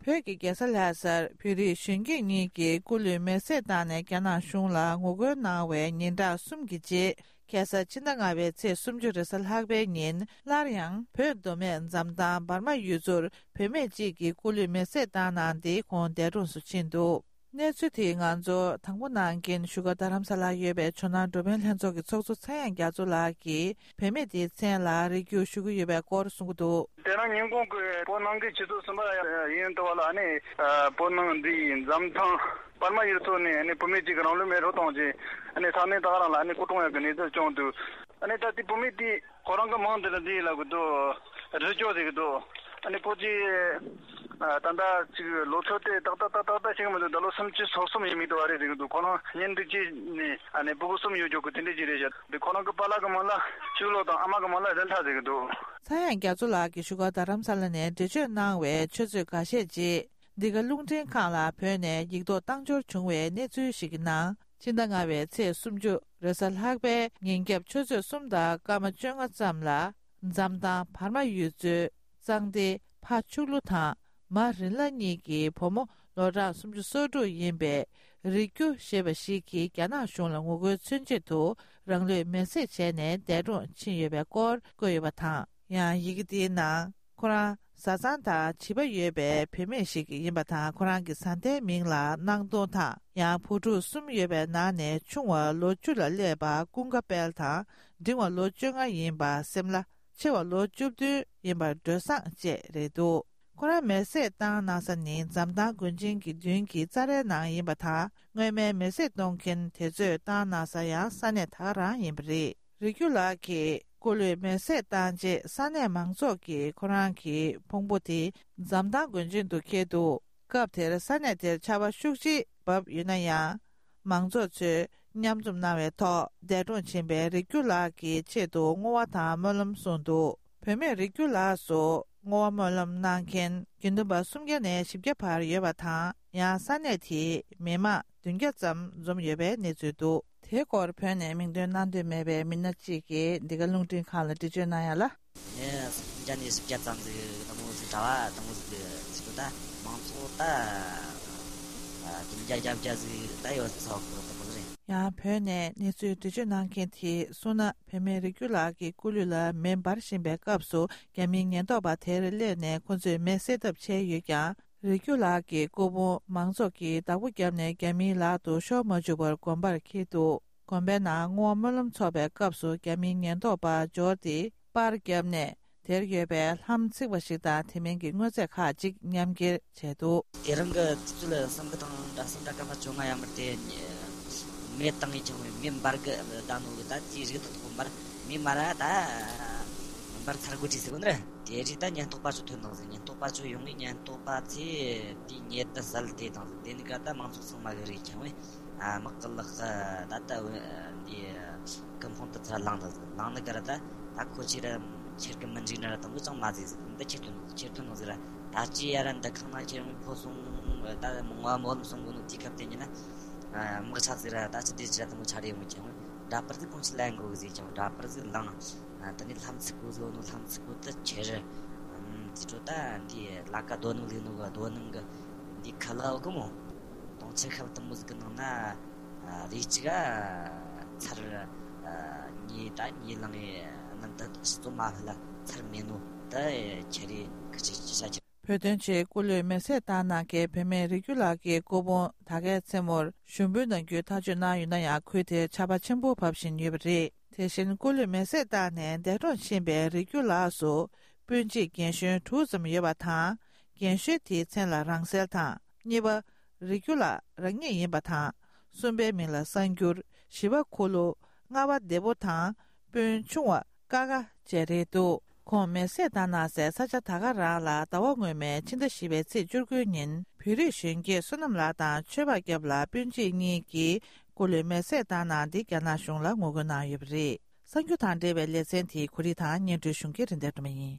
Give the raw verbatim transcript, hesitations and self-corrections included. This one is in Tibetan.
བོད་ཀྱི་རྒྱལ་ས་ལྷ་སར་བོད་རིགས་གཞོན་སྐྱེས་གཉིས་ཀྱིས་སྐུ་ལུས་མེར་སྲེག་བཏང་ནས་རྒྱ་ནག་གཞུང་ལ་ངོ་རྒོལ་གནང་བའི་ཉིན་གྲངས་གསུམ་གྱི་རྗེས། ཁ་སང་ཕྱི་ཟླ་ལྔ་པའི་ཚེས་སུམ་ཅུ་རེས་གཟའ་ལྷག་པའི་ཉིན་སླར་ཡང་བོད་མདོ་སྨད་འཛམ་ཐང་འབར་མ་ཡུལ་ཚོར་བུད་མེད་ཅིག་གིས་སྐུ་ལུས་མེར་སྲེག་བཏང་གནང་སྟེ་ཁོང་འདས་གྲོངས་སུ་ཕྱིན་འདུག་གནས་ཚུལ་དེ་ང་ཚོར་དང་པོ་གནང་མཁན་བཞུགས་སྒར་རྡ་རམ་ས་ལར་ཡོད་པའི་ཇོ་ནང་འགྲོ་ཕན་ལྷན་ཚོགས་ཀྱི་ཚོགས་གཙོ་ཚངས་དབྱངས་རྒྱ་མཚོ་ལགས་ཀྱིས་བུད་མེད་དེའི་མཚན་ལ་རེ་སྐུལ་ཞུ་གི་ཡོད་པའི་སྐོར་གསུང་གི་འདུག་དེ་རིང་ཉིན་གུང་གི་བོད་ནང་གི་ཆུ་ཚོད་གསུམ་པ་ཡིན་འདུག་བ་ལ། ཨ་ནི་བོད་ནང་འདི་འཛམ་ཐང་པར་མ་ཡུལ་ཚོ་ནས་ཨ་ནི་བུད་མེད་ཅིག་གིས་རང་ལུས་མེ་རུ་བཏང་རྗེས། ཨ་ནི་ས་གནས་ད་ག་རང་ལ་ཨ་ནི་སྐུ་གྲོངས་ཡག་གི་གནས་ཚུལ་བྱུང་འདུག་ཨ་ནི་ད་དེ་བུད་མེད་དེ་ཁོ་རང་གི་མིང་དེ་ལ་འདི་ལབ་གི་འདུག་རི་སྐྱོ་ཟེར་གི་འདུག་ཨ་ནི་ཕོ་ཅི་ད་ལྟ་ཅིག་ལོ་ཚོད་དེ་ཏག་ཏག་ཏག་ཏག་ཏག་ཤེས་གི་མི་འདུག་ད་ལོ་སུམ་ཅུ་སོ་གསུམ་ཡིན་མི་འདུག་བ་རེད་ཟེར་གི་འདུག་ཁོ་རང་གཉེན་སྒྲིག་བྱས་ནས་ཨ་ནི་ཕྲུ་གུ་གསུམ་ཡོད་ཀྱོག་གི་དེ་འདྲ་ཅིག་རེད་ཤག་འདི་ཁོ་རང་གི་པཱ་ལགས་ཀྱི་མིང་ལ་ཕྱུག་ལོ་དང་ཨ་མ་གི་མིང་ལ་རི་ལྷ་ཟེར་གི་འདུག་ཚངས་དབྱངས་རྒྱ་མཚོ་ལགས་ཀྱིས་བཞུགས་སྒར་རྡ་རམ་ས་ལ་ནས་འགྲེལ་བརྗོད་གནང་བའི་ཆུ་ཚོད་འགའ་ཤས་རྗེས། འདི་ག་རླུང་འཕྲིན་ཁང་ལ་བོད་ནས་ཡིག་ཐོག་བཏང་འབྱོར་བྱུང་བའི་གནས་ཚུལ་ཞིག་གི་ནང་། ཕྱི་ཟླ་ལྔ་པའི་ཚེས་སུམ་ཅུ་རེས་གཟའ་ལྷག་པའི་ཉིན་རྒྱབ་ཆུ་ཚོད་གསུམ་དང་སྐར་མ་བཅོ་ལྔ་ཙམ་ལ། འཛམ་ཐང་བར་མ་ཡུལ་ཚོའི་གཙང་སྡེའི་ཕ་ཕྱུག་ལོ་དང་མ་རིན་ལ་གཉིས་ཀྱི་བུ་མོ་ལོ་གྲངས་སུམ་ཅུ་སོ་དྲུག་ཡིན་པའི་རི་སྐྱོ་ཞེས་པ་ཞིག་གིས་རྒྱ་ནག་གཞུང་ལ་ངོ་རྒོལ་མཚོན་ཆེད་དུ་རང་ལུས་མེར་སྲེག་བྱས་ནས་འདས་གྲོངས་ཕྱིན་ཡོད་པའི་སྐོར་བཀོད་ཡོད་པ་དང་། ཡང་ཡི་གེ་དེའི་ནང་། ཁོ་རང་བཟའ་ཚང་དང་བྱིས་པ་ཡོད་པའི་བུད་མེད་ཞིག་ཡིན་པ་དང་། ཁོ་རང་གི་བཟའ་ཟླའི་མིང་ལ་སྣང་སྟོང་དང་། ཡང་བུ་ཕྲུག་གསུམ་ཡོད་པའི་ནང་ནས་ཆུང་བ་ལོ་བཅུ་ལ་སླེབས་པ་ཀུན་དགའ་དཔལ་དང་། འབྲིང་བ་ལོ་བཅོ་ལྔ་ཡིན་པ་སེམས་ལྷ། ཆེ་བ་ལོ་བཅུ་བདུན་ཡིན་པ་སྒྲོལ་བཟང་བཅས་རེད་འདུག་ཁོ་རང་མེར་སྲེག་བཏང་གནང་ས་ནི་འཛམ་ཐང་དགོན་ཆེན་གྱི་མདུན་གྱི་རྩྭ་རའི་ནང་ཡིན་པ་དང་། སྔོན་མའི་མེར་སྲེག་གཏོང་མཁན་དེ་ཚོས་བཏང་གནང་ས་ཡང་ས་གནས་ད་ག་རང་ཡིན་པ་རེད། རི་སྐྱོ་ལགས་ཀྱིས་སྐུ་ལུས་མེར་སྲེག་བཏང་རྗེས་ས་གནས་མང་ཚོགས་ཀྱིས་ཁོ་རང་གི་ཕུང་པོ་དེ་འཛམ་ཐང་དགོན་ཆེན་དུ་འཁྱེར་འདུག་སྐབས་དེར་ས་གནས་དེར་ཆར་པ་ཤུགས་ཆེ་བབས་ཡོད་ན་ཡང་། མང་ཚོགས་ཚོས་མཉམ་འཛོམས་གནང་བའི་ཐོག་འདས་གྲོངས་ཕྱིན་པའི་རི་སྐྱོ་ལགས་ཀྱི་ཆེད་དུ་བསྔོ་བ་དང་སྨོན་ལམ་གསུངས་འདུག་བུད་མེད་རི་སྐྱོ་ལགས་སུ་བསྔོ་བ་སྨོན་ལམ་གནང་མཁན་དགེ་འདུན་པ་སུམ་བརྒྱ་ནས་བཞི་བརྒྱ་བར་ཡོད་པ་དང་། ཡང་ས་གནས་དེའི་མི་མང་བདུན་བརྒྱ་ཙམ་འཛོམས་ཡོད་པའི་གནས་ཚུལ་འདུག་དེའི་སྐོར་བོད་ནས་མིང་འདོན་གནང་འདོད་མེད་པའི་མི་སྣ་གཅིག་གིས་འདི་ག་རླུང་འཕྲིན་ཁང་ལ་འགྲེལ་བརྗོད་གནང་ཡ་ལ། ངས་སུམ་བརྒྱ་ནས་བཞི་བརྒྱ་ཙམ་ཟིག་དང་པོ་ཟིག་གྲྭ་བ་དང་པོ་ཟིག་གི་ཟིག་ད་མང་ཚོགས་ད་བདུན་བརྒྱ་བརྒྱད་བརྒྱ་ཟིག་ད་ཡོད་ས་གི་དང་པོ་ཟིག་རེད། ཡང་བོད་ནས་གནས་ཚུལ་འགྲེལ་བརྗོད་གནང་མཁན་དེས་གསུངས་ན། བུད་མེད་རི་སྐྱོ་ལགས་ཀྱི་སྐུ་ལུས་ལ་མེ་འབར་བཞིན་པའི་སྐབས་སུ་རྒྱ་མིའི་ཉེན་རྟོག་པ་དེར་སླེབས་ནས་ཁོ་ཚོས་མེ་བསད་ཐབས་བྱས་ཡོད་ཀྱང་། རི་སྐྱོ་ལགས་ཀྱི་སྐུ་ཕུང་མང་ཚོགས་ཀྱིས་བདག་པོ་བརྒྱབ་ནས་རྒྱ་མིའི་ལག་ཏུ་ཤོར་མ་བཅུག་པར་དགོན་པར་འཁྱེར་འདུག་དགོན་པའི་ནང་བསྔོ་བ་སྨོན་ལམ་ཚོགས་པའི་སྐབས་སུ་རྒྱ་མིའི་ཉེན་རྟོག་པ་འབྱོར་ཏེ་པར་བརྒྱབ་ནས་དེར་ཡོད་པའི་ལྷམ་ཚིག་པ་ཞིག་དང་དེ་མིན་གྱི་དངོས་རྫས་ཁག་ཅིག་ཉམས་འགྱེལ་བྱས་འདུག་དེ་རིང་གི་དུས་ཚོད་བསམ་གི་དང་འདྲ་བསམ་འདྲ་སྐར་མ་བཅོ་ལྔ་ཡར་མར་དེ་མེ་བཏང་ཡིན་ཀྱང་མེ་འབར་གི་ད་ནོ་གི་ད་དེའི་རིགས་དེ་ཐོག་འབར་མེ་མ་ར་ད་འབར་ཚར་དགོས་ཀྱི་ཟེར་གོ་ནི་རེད། དེ་རིགས་ད་ཉེན་རྟོག་པ་ཚོ་ཐོན་དང་ཟིག་ཉེན་རྟོག་པ་ཚོ་ཡོང་ངེས་ཉེན་རྟོག་པ་ཚོས་དེའི་ཉེ་དུ་བསལ་དེ་དང་ཟིག་དེ་ནི་ག་ད་མང་ཚོགས་ཚང་མ་གི་རེད་ཀྱང་བས། ཨ་དམག་གི་ལག་གི་ད་ལྟ་འདི་ཀུན་ཕུང་དུ་ཚུར་ལངས་དང་ཟིག་ལངས་ནི་ག་ར་ད་ད་ཁོ་ཆེ་ར་ཁྱེར་གི་མི་འཇིག་ན་ར་དང་པོ་ཅང་མ་ཟིག་ཟིག་འདི་ཁྱེར་ཐོན་ནོ་ཁྱེར་ཐོན་ནོ་ཟིག་ར་ད་ཅི་ཡ་ར་འདི་ཁང་ན་ཁྱེར་ཡོང་ཕོ་སོང་ད་མོ་ང་མོ་ལམ་སོང་གོ་ནོ་དེའི་སྐབས་དེ་ཉིན་ན་དམག་ཆ་ཟིག་ར་ད་ཅི་དེ་ཅི་ར་དང་པོ་ཆ་རེ་ཡོང་ཀྱང་འདྲ་པར་ཟིག་ཁོང་ཆི་ལན་གོ་གི་ཟིག་ཀྱང་འདྲ་པར་ཟིག་ལངས། ཨ་དེ་ནས་ལྷམ་ཚིག་པོ་ཟིག་ནོ་ལྷམ་ཚིག་པོ་དེ་ཁྱེར། ཨམ་དེ་འཕྲོ་ད་འདི་ལ་ཀ་རྡོ་ནང་ལུས་ནོ་གི་རྡོ་ནང་གི་འདི་ཁ་ལ་འོ་གི་མོ། དོང་ཆེ་ཁབ་དུ་མོ་ཟིག་གི་ནང་ན་ཨ་རེ་གཅིག་ག་ཚར་ཨ་ཉིས་ད་ཉིས་ལང་ཡི་རྣམ་ད་ཞི་ཙོ་མ་ཕི་ལ་ཚར་མེད་ནོ་ད་ཁི་ཆེ་ཅི་ཤ་ཁྱེར། བོད་དོན་ཆེད་སྐུ་ལུས་མེར་སྲེག་བཏང་གནང་མཁན་བུད་མེད་རིགས་རྒྱུད་ལགས་ཀྱི་སྐུ་ཕུང་ད་གའི་མཚན་མོར་ཞུམ་བུ་ནང་རྒྱུའི་ཐག་གཅོད་གནང་ཡོད་ན་ཡང་། ཁུལ་དེར་ཆར་པ་ཆེན་པོ་བབས་བཞིན་ཡོད་པ་རེད། དེ་བཞིན་སྐུ་ལུས་མེར་སྲེག་བཏང་ནས་འདས་གྲོངས་ཕྱིན་པའི་རིགས་རྒྱུད་ལགས་སུ་སྤུན་མཆེད་རྒན་གཞོན་དྲུག་ཙམ་ཡོད་པ་དང་། རྒན་གཞོན་དེའི་མཚན་ལ་རང་གསལ་དང་། གཉིས་པ། རིགས་རྒྱུད་ལགས་རང་ཉིད་ཡིན་པ་དང་། གསུམ་པའི་མིང་ལ་གསར་འགྱུར། བཞི་པ་ཁུ་ལུ། ལྔ་པ་བདེ་པོ་དང་། སྤུན་ཆུང་བ་ཀ་ཀ་བཅས་རེད་འདུག་ཁོང་མེར་སྲེག་བཏང་གནང་སའི་ས་ཆ་ད་ག་རང་ལ་ཟླ་བ་སྔོན་མའི་ཕྱི་ཟླ་བཞི་པའི་ཚེས་བཅུ་དགུ་ཉིན་བོད་རིགས་གཞོན་སྐྱེས་བསོད་ནམས་ལགས་དང་ཆོས་འཕགས་སྐྱབས་ལགས་སྤུན་མཆེད་གཉིས་ཀྱིས་སྐུ་ལུས་མེར་སྲེག་བཏང་གནང་སྟེ་རྒྱ་ནག་གཞུང་ལ་ངོ་རྒོལ་གནང་ཡོད་པ་རེད། གསར་འགྱུར་དང་འབྲེལ་བའི་ལེ་ཚན་དེའི་གོ་སྒྲིག་དང་སྙན་སྒྲོན་ཞུ་མཁན་རིན་ལྡན་སྒྲོལ་མ་ཡིན།